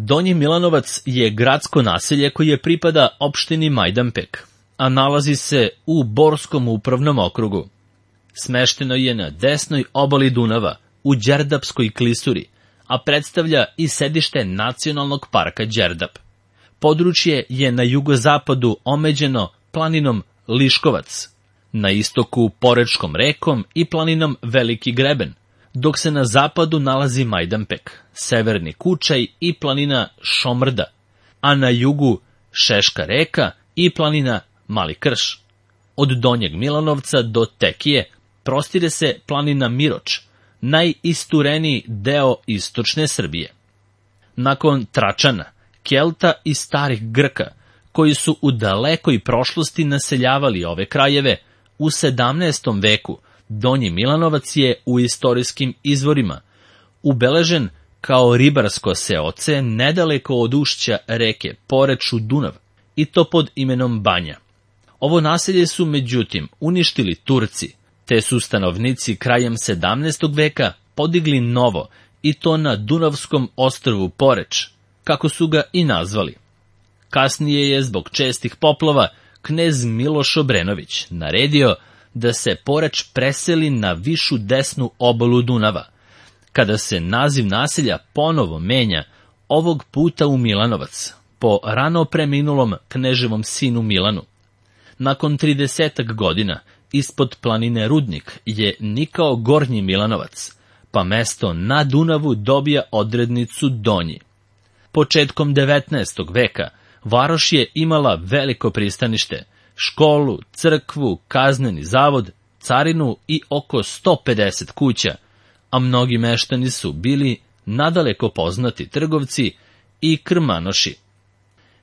Donji Milanovac je gradsko naselje koje pripada opštini Majdanpek, a nalazi se u Borskom upravnom okrugu. Smešteno je na desnoj obali Dunava, u Đerdapskoj klisuri, a predstavlja i sedište Nacionalnog parka Đerdap. Područje je na jugozapadu omeđeno planinom Liškovac, na istoku Porečkom rekom i planinom Veliki greben, dok se na zapadu nalazi Majdanpek, severni Kučaj i planina Šomrda, a na jugu Šeška reka i planina Mali krš. Od Donjeg Milanovca do Tekije prostire se planina Miroč, najistureniji deo istočne Srbije. Nakon Tračana, Kelta i starih Grka, koji su u dalekoj prošlosti naseljavali ove krajeve, u 17. veku Donji Milanovac je u istorijskim izvorima ubeležen kao ribarsko seoce nedaleko od ušća reke Poreč u Dunav, i to pod imenom Banja. Ovo naselje su međutim uništili Turci, te su stanovnici krajem 17. veka podigli novo, i to na Dunavskom ostrvu Poreč, kako su ga i nazvali. Kasnije je zbog čestih poplava knez Miloš Obrenović naredio da se Poreč preseli na višu desnu obalu Dunava, kada se naziv naselja ponovo menja, ovog puta u Milanovac, po rano preminulom kneževom sinu Milanu. Nakon 30 godina ispod planine Rudnik je nikao Gornji Milanovac, pa mesto na Dunavu dobija odrednicu Donji. Početkom 19. veka varoš je imala veliko pristanište, školu, crkvu, kazneni zavod, carinu i oko 150 kuća, a mnogi meštani su bili nadaleko poznati trgovci i krmanoši.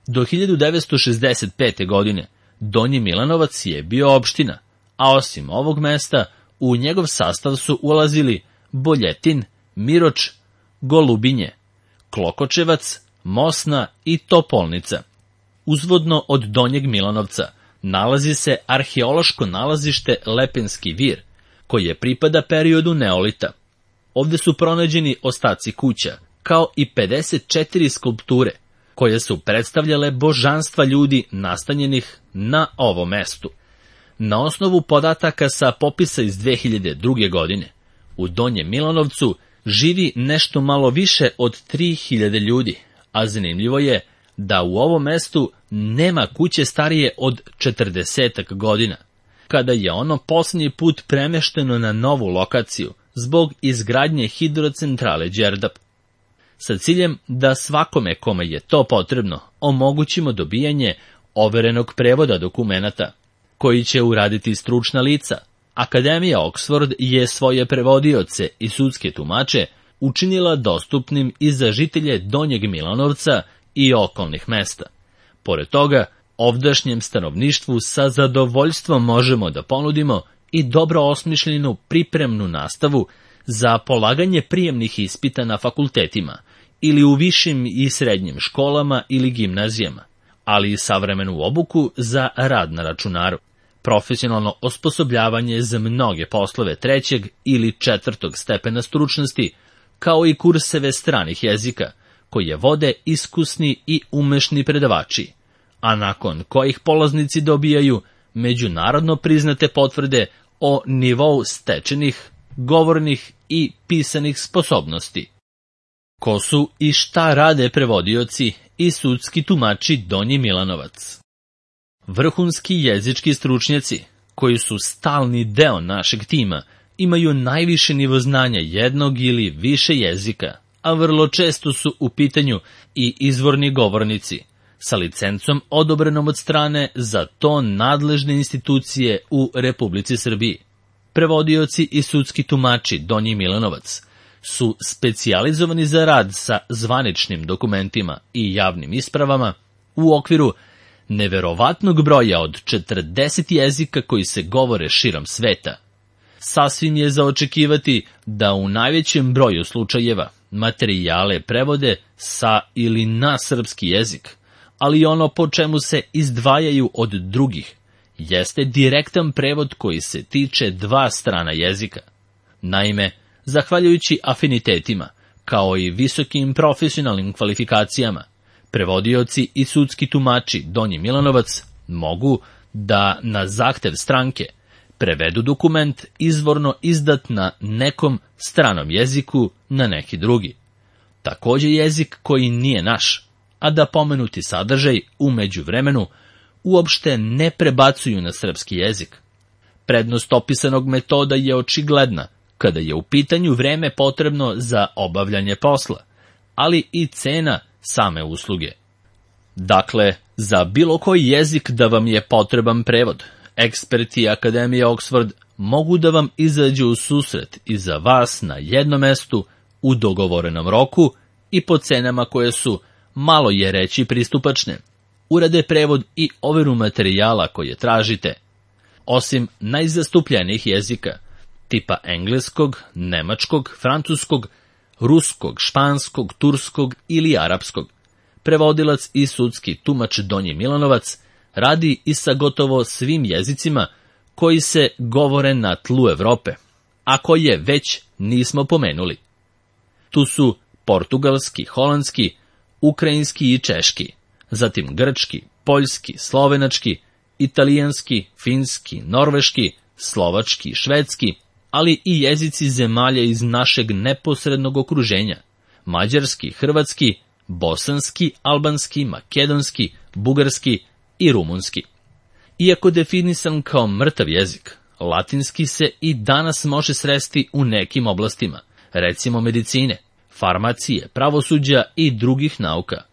Do 1965. godine Donji Milanovac je bio opština, a osim ovog mesta u njegov sastav su ulazili Boljetin, Miroč, Golubinje, Klokočevac, Mosna i Topolnica. Uzvodno od Donjeg Milanovca nalazi se arheološko nalazište Lepenski vir, koje pripada periodu neolita. Ovde su pronađeni ostaci kuća, kao i 54 skulpture, koje su predstavljale božanstva ljudi nastanjenih na ovom mestu. Na osnovu podataka sa popisa iz 2002. godine, u Donjem Milanovcu živi nešto malo više od 3000 ljudi, a zanimljivo je da u ovom mestu nema kuće starije od 40 godina, kada je ono posljednji put premešteno na novu lokaciju zbog izgradnje hidrocentrale Đerdap. Sa ciljem da svakome kome je to potrebno omogućimo dobijanje overenog prevoda dokumenata, koji će uraditi stručna lica, Akademija Oxford je svoje prevodioce i sudske tumače učinila dostupnim i za žitelje Donjeg Milanovca i okolnih mesta. Pored toga, ovdašnjem stanovništvu sa zadovoljstvom možemo da ponudimo i dobro osmišljenu pripremnu nastavu za polaganje prijemnih ispita na fakultetima ili u višim i srednjim školama ili gimnazijama, ali i savremenu obuku za rad na računaru, profesionalno osposobljavanje za mnoge poslove 3. ili 4. stepena stručnosti, kao i kurseve stranih jezika, koje vode iskusni i umešni predavači, a nakon kojih polaznici dobijaju međunarodno priznate potvrde o nivou stečenih, govornih i pisanih sposobnosti. Ko su i šta rade prevodioci i sudski tumači Donji Milanovac? Vrhunski jezički stručnjaci, koji su stalni deo našeg tima, imaju najviše nivo znanja jednog ili više jezika, a vrlo često su u pitanju i izvorni govornici, sa licencom odobrenom od strane za to nadležne institucije u Republici Srbiji. Prevodioci i sudski tumači Donji Milanovac su specijalizovani za rad sa zvaničnim dokumentima i javnim ispravama u okviru neverovatnog broja od 40 jezika koji se govore širom sveta. Sasvim je za očekivati da u najvećem broju slučajeva materijale prevode sa ili na srpski jezik, ali ono po čemu se izdvajaju od drugih jeste direktan prevod koji se tiče dva strana jezika. Naime, zahvaljujući afinitetima kao i visokim profesionalnim kvalifikacijama, prevodioci i sudski tumači Donji Milanovac mogu da na zahtev stranke prevedu dokument izvorno izdat na nekom stranom jeziku na neki drugi. Takođe jezik koji nije naš, a da pomenuti sadržaj u međuvremenu uopšte ne prebacuju na srpski jezik. Prednost opisanog metoda je očigledna kada je u pitanju vreme potrebno za obavljanje posla, ali i cena same usluge. Dakle, za bilo koji jezik da vam je potreban prevod, eksperti Akademije Oxford mogu da vam izađu u susret i za vas na jednom mestu u dogovorenom roku i po cenama koje su, malo je reći, pristupačne. Urade prevod i overu materijala koje tražite. Osim najzastupljenijih jezika, tipa engleskog, nemačkog, francuskog, ruskog, španskog, turskog ili arapskog, prevodilac i sudski tumač Donji Milanovac radi i sa gotovo svim jezicima koji se govore na tlu Evrope, a koje već nismo pomenuli. Tu su portugalski, holandski, ukrajinski i češki, zatim grčki, poljski, slovenački, italijanski, finski, norveški, slovački, švedski, ali i jezici zemalja iz našeg neposrednog okruženja, mađarski, hrvatski, bosanski, albanski, makedonski, bugarski i rumunski. Iako definisan kao mrtav jezik, latinski se i danas može sresti u nekim oblastima, recimo medicine, farmacije, pravosuđa i drugih nauka,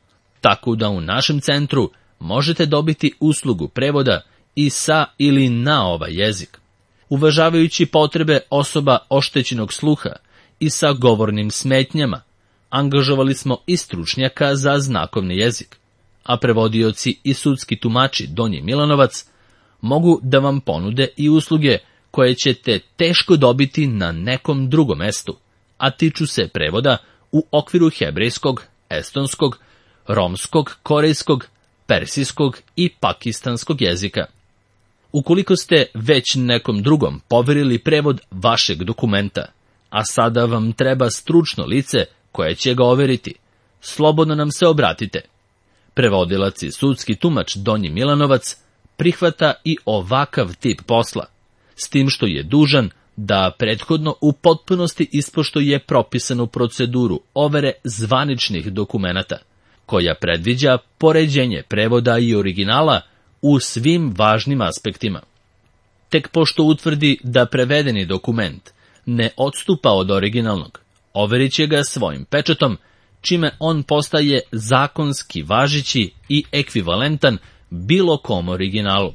tako da u našem centru možete dobiti uslugu prevoda i sa ili na ovaj jezik. Uvažavajući potrebe osoba oštećenog sluha i sa govornim smetnjama, angažovali smo i stručnjaka za znakovni jezik, a prevodioci i sudski tumači Donji Milanovac mogu da vam ponude i usluge koje ćete teško dobiti na nekom drugom mestu, a tiču se prevoda u okviru hebrejskog, estonskog, romskog, korejskog, persijskog i pakistanskog jezika. Ukoliko ste već nekom drugom poverili prevod vašeg dokumenta, a sada vam treba stručno lice koje će ga overiti, slobodno nam se obratite. Prevodilac i sudski tumač Donji Milanovac prihvata i ovakav tip posla, s tim što je dužan da prethodno u potpunosti ispoštuje propisanu proceduru overe zvaničnih dokumenata, koja predviđa poređenje prevoda i originala u svim važnim aspektima. Tek pošto utvrdi da prevedeni dokument ne odstupa od originalnog, overit će ga svojim pečatom, čime on postaje zakonski važeći i ekvivalentan bilo kom originalu.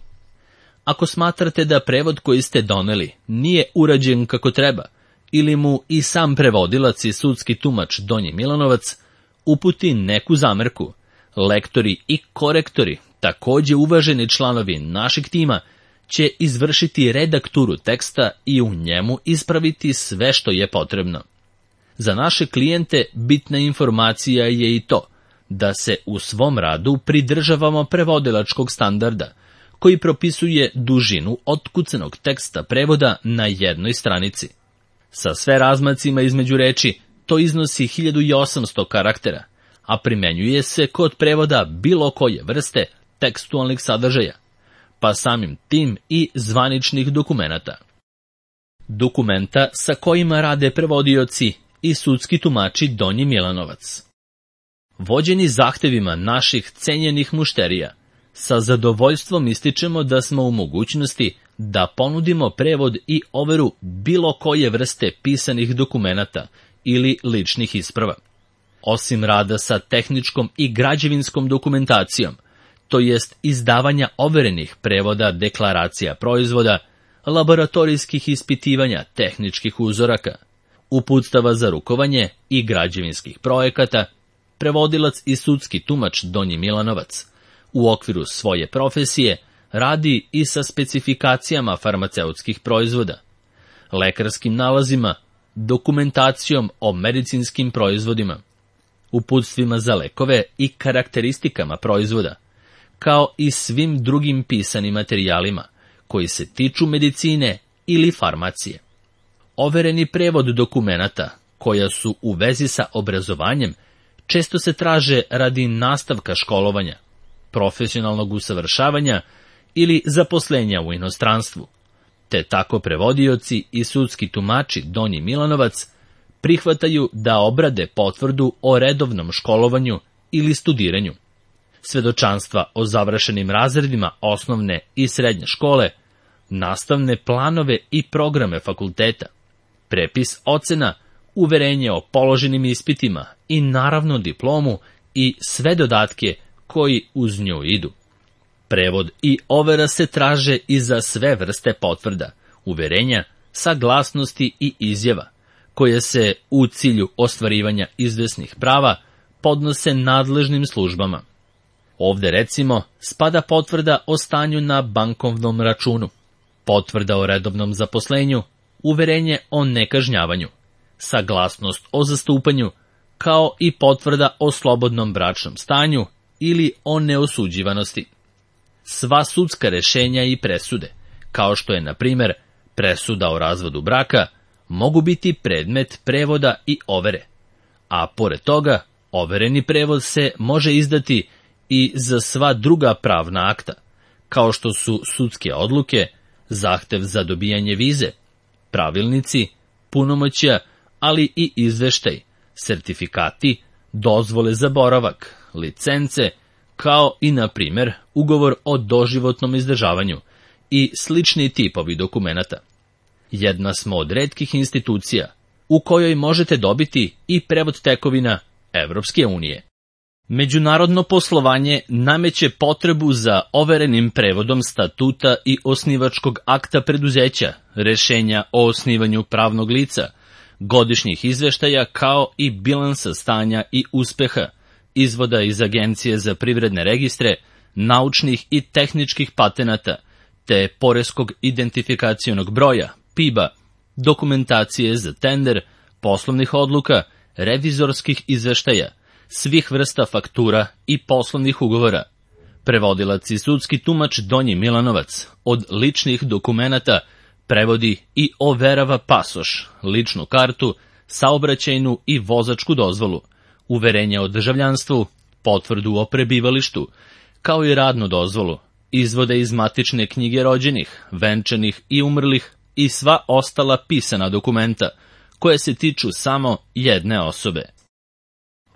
Ako smatrate da prevod koji ste doneli nije urađen kako treba, ili mu i sam prevodilac i sudski tumač Donji Milanovac uputi neku zamerku, lektori i korektori, takođe uvaženi članovi našeg tima, će izvršiti redakturu teksta i u njemu ispraviti sve što je potrebno. Za naše klijente bitna informacija je i to da se u svom radu pridržavamo prevodilačkog standarda, koji propisuje dužinu otkucanog teksta prevoda na jednoj stranici. Sa sve razmacima između reči to iznosi 1800 karaktera, a primenjuje se kod prevoda bilo koje vrste tekstualnih sadržaja, pa samim tim i zvaničnih dokumenata. Dokumenta sa kojima rade prevodioci i sudski tumači Donji Milanovac. Vođeni zahtevima naših cenjenih mušterija, sa zadovoljstvom ističemo da smo u mogućnosti da ponudimo prevod i overu bilo koje vrste pisanih dokumenata ili ličnih isprava. Osim rada sa tehničkom i građevinskom dokumentacijom, to jest izdavanja overenih prevoda deklaracija proizvoda, laboratorijskih ispitivanja tehničkih uzoraka, uputstava za rukovanje i građevinskih projekata, prevodilac i sudski tumač Donji Milanovac u okviru svoje profesije radi i sa specifikacijama farmaceutskih proizvoda, lekarskim nalazima, dokumentacijom o medicinskim proizvodima, uputstvima za lekove i karakteristikama proizvoda, kao i svim drugim pisanim materijalima koji se tiču medicine ili farmacije. Overeni prevod dokumenata koja su u vezi sa obrazovanjem često se traže radi nastavka školovanja, profesionalnog usavršavanja ili zaposlenja u inostranstvu. Te tako prevodioci i sudski tumači Donji Milanovac prihvataju da obrade potvrdu o redovnom školovanju ili studiranju, svedočanstva o završenim razredima osnovne i srednje škole, nastavne planove i programe fakulteta, prepis ocena, uverenje o položenim ispitima i naravno diplomu i sve dodatke koji uz nju idu. Prevod i overa se traže i za sve vrste potvrda, uverenja, saglasnosti i izjava, koje se u cilju ostvarivanja izvesnih prava podnose nadležnim službama. Ovde recimo spada potvrda o stanju na bankovnom računu, potvrda o redovnom zaposlenju, uverenje o nekažnjavanju, saglasnost o zastupanju, kao i potvrda o slobodnom bračnom stanju ili o neosuđivanosti. Sva sudska rešenja i presude, kao što je, na primer, presuda o razvodu braka, mogu biti predmet prevoda i overe, a pored toga, overeni prevod se može izdati i za sva druga pravna akta, kao što su sudske odluke, zahtev za dobijanje vize, pravilnici, punomoćja, ali i izveštaj, sertifikati, dozvole za boravak, licence, kao i, na primer, ugovor o doživotnom izdržavanju i slični tipovi dokumenata. Jedna smo od retkih institucija u kojoj možete dobiti i prevod tekovina Evropske unije. Međunarodno poslovanje nameće potrebu za overenim prevodom statuta i osnivačkog akta preduzeća, rešenja o osnivanju pravnog lica, godišnjih izveštaja kao i bilansa stanja i uspeha, izvoda iz Agencije za privredne registre, naučnih i tehničkih patenata, te poreskog identifikacionog broja, PIB-a, dokumentacije za tender, poslovnih odluka, revizorskih izveštaja, svih vrsta faktura i poslovnih ugovora. Prevodilac i sudski tumač Donji Milanovac od ličnih dokumenata prevodi i overava pasoš, ličnu kartu, saobraćajnu i vozačku dozvolu, uverenje o državljanstvu, potvrdu o prebivalištu, kao i radnu dozvolu, izvode iz matične knjige rođenih, venčanih i umrlih i sva ostala pisana dokumenta, koje se tiču samo jedne osobe.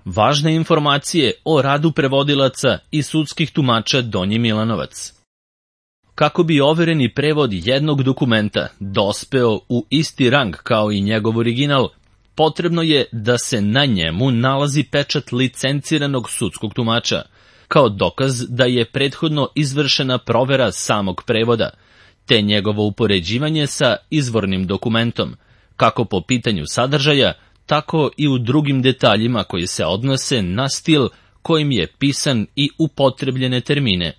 Važne informacije o radu prevodilaca i sudskih tumača Donji Milanovac. Kako bi overeni prevod jednog dokumenta dospeo u isti rang kao i njegov original, potrebno je da se na njemu nalazi pečat licenciranog sudskog tumača, kao dokaz da je prethodno izvršena provera samog prevoda, te njegovo upoređivanje sa izvornim dokumentom, kako po pitanju sadržaja, tako i u drugim detaljima koji se odnose na stil kojim je pisan i upotrebljene termine.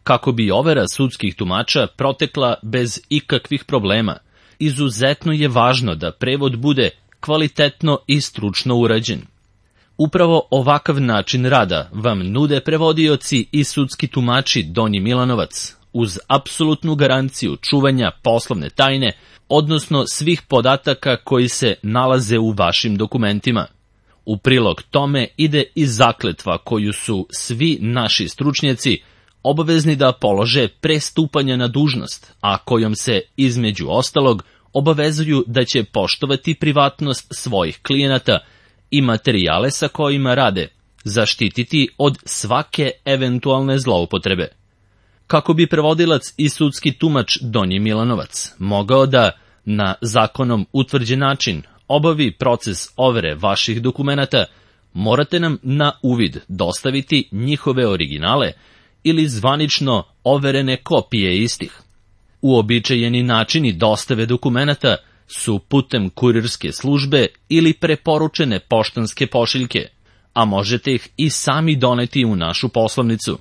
Kako bi overa sudskih tumača protekla bez ikakvih problema, izuzetno je važno da prevod bude kvalitetno i stručno urađen. Upravo ovakav način rada vam nude prevodioci i sudski tumači Donji Milanovac, uz apsolutnu garanciju čuvanja poslovne tajne, odnosno svih podataka koji se nalaze u vašim dokumentima. U prilog tome ide i zakletva koju su svi naši stručnjaci obavezni da polože pre stupanja na dužnost, a kojom se, između ostalog, obavezuju da će poštovati privatnost svojih klijenata i materijale sa kojima rade, zaštititi od svake eventualne zloupotrebe. Kako bi prevodilac i sudski tumač Donji Milanovac mogao da, na zakonom utvrđen način, obavi proces overe vaših dokumenata, morate nam na uvid dostaviti njihove originale ili zvanično overene kopije istih. Uobičajeni načini dostave dokumenata su putem kurirske službe ili preporučene poštanske pošiljke, a možete ih i sami doneti u našu poslovnicu.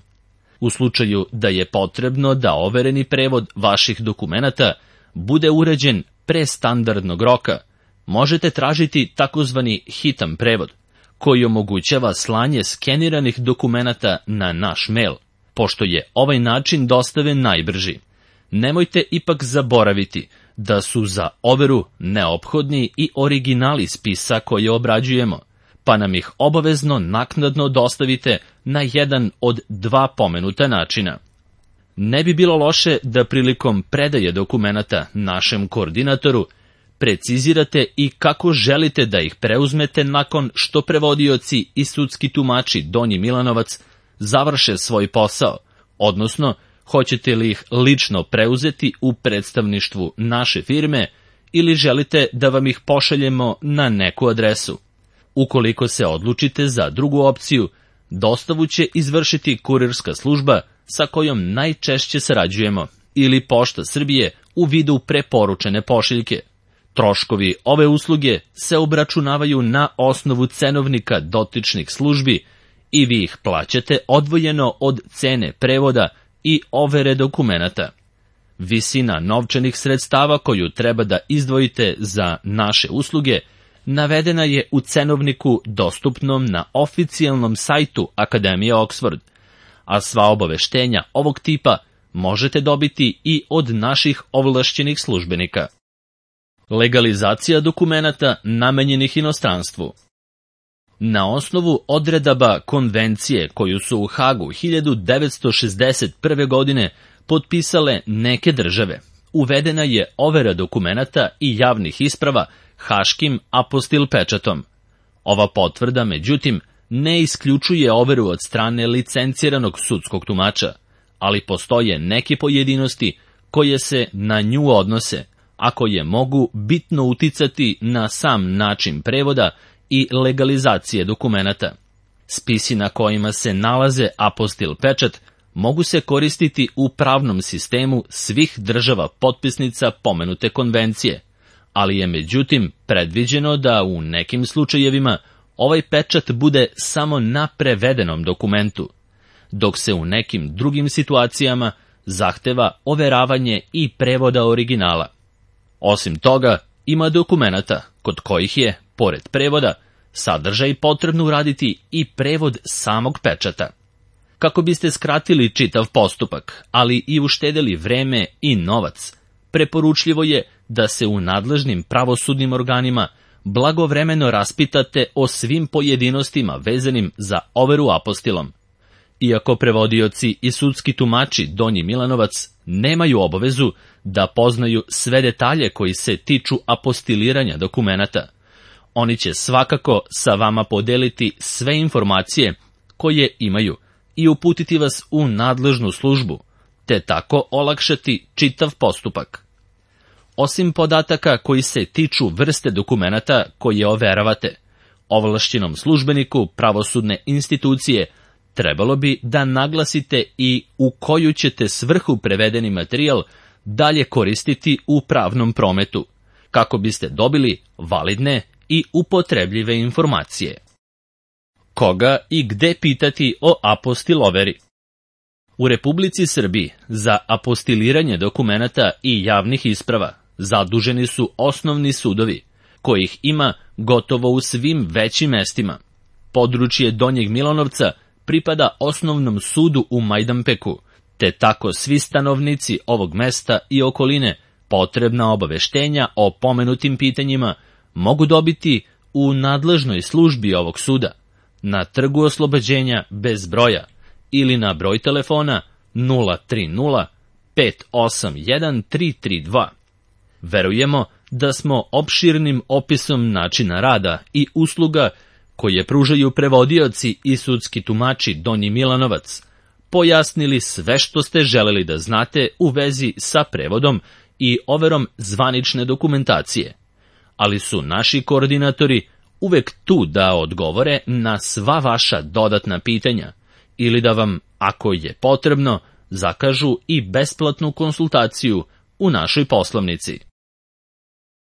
U slučaju da je potrebno da overeni prevod vaših dokumenata bude urađen pre standardnog roka, možete tražiti takozvani hitan prevod, koji omogućava slanje skeniranih dokumenata na naš mail, pošto je ovaj način dostave najbrži. Nemojte ipak zaboraviti da su za overu neophodni i originali spisa koje obrađujemo, pa nam ih obavezno naknadno dostavite na jedan od dva pomenuta načina. Ne bi bilo loše da prilikom predaje dokumenata našem koordinatoru precizirate i kako želite da ih preuzmete nakon što prevodioci i sudski tumači Donji Milanovac završe svoj posao, odnosno hoćete li ih lično preuzeti u predstavništvu naše firme ili želite da vam ih pošaljemo na neku adresu. Ukoliko se odlučite za drugu opciju, dostavu će izvršiti kurirska služba sa kojom najčešće sarađujemo ili Pošta Srbije u vidu preporučene pošiljke. Troškovi ove usluge se obračunavaju na osnovu cenovnika dotičnih službi i vi ih plaćate odvojeno od cene prevoda i overe dokumenata. Visina novčanih sredstava koju treba da izdvojite za naše usluge navedena je u cenovniku dostupnom na oficijalnom sajtu Akademije Oxford, a sva obaveštenja ovog tipa možete dobiti i od naših ovlašćenih službenika. Legalizacija dokumenata namenjenih inostranstvu. Na osnovu odredaba konvencije koju su u Hagu 1961. godine potpisale neke države, uvedena je overa dokumenata i javnih isprava haškim apostil pečatom. Ova potvrda, međutim, ne isključuje overu od strane licenciranog sudskog tumača, ali postoje neke pojedinosti koje se na nju odnose, a koje mogu bitno uticati na sam način prevoda i legalizacije dokumenata. Spisi na kojima se nalaze apostil pečat mogu se koristiti u pravnom sistemu svih država potpisnica pomenute konvencije, ali je međutim predviđeno da u nekim slučajevima ovaj pečat bude samo na prevedenom dokumentu, dok se u nekim drugim situacijama zahteva overavanje i prevoda originala. Osim toga, ima dokumenata kod kojih je, pored prevoda, sadržaj potrebno uraditi i prevod samog pečata. Kako biste skratili čitav postupak, ali i uštedeli vreme i novac, preporučljivo je da se u nadležnim pravosudnim organima blagovremeno raspitate o svim pojedinostima vezanim za overu apostilom. Iako prevodioci i sudski tumači Donji Milanovac nemaju obavezu da poznaju sve detalje koji se tiču apostiliranja dokumenata, oni će svakako sa vama podeliti sve informacije koje imaju i uputiti vas u nadležnu službu, te tako olakšati čitav postupak. Osim podataka koji se tiču vrste dokumenata koje overavate, ovlašćenom službeniku pravosudne institucije trebalo bi da naglasite i u koju ćete svrhu prevedeni materijal dalje koristiti u pravnom prometu, kako biste dobili validne i upotrebljive informacije. Koga i gde pitati o apostiloveri? U Republici Srbiji za apostiliranje dokumenata i javnih isprava zaduženi su osnovni sudovi, kojih ima gotovo u svim većim mestima. Područje Donjeg Milanovca pripada osnovnom sudu u Majdanpeku, te tako svi stanovnici ovog mesta i okoline potrebna obaveštenja o pomenutim pitanjima mogu dobiti u nadležnoj službi ovog suda, na Trgu Oslobođenja bez broja ili na broj telefona 030 581 332. Verujemo da smo opširnim opisom načina rada i usluga koje pružaju prevodioci i sudski tumači Donji Milanovac pojasnili sve što ste želeli da znate u vezi sa prevodom i overom zvanične dokumentacije, ali su naši koordinatori uvek tu da odgovore na sva vaša dodatna pitanja ili da vam, ako je potrebno, zakažu i besplatnu konsultaciju u našoj poslovnici.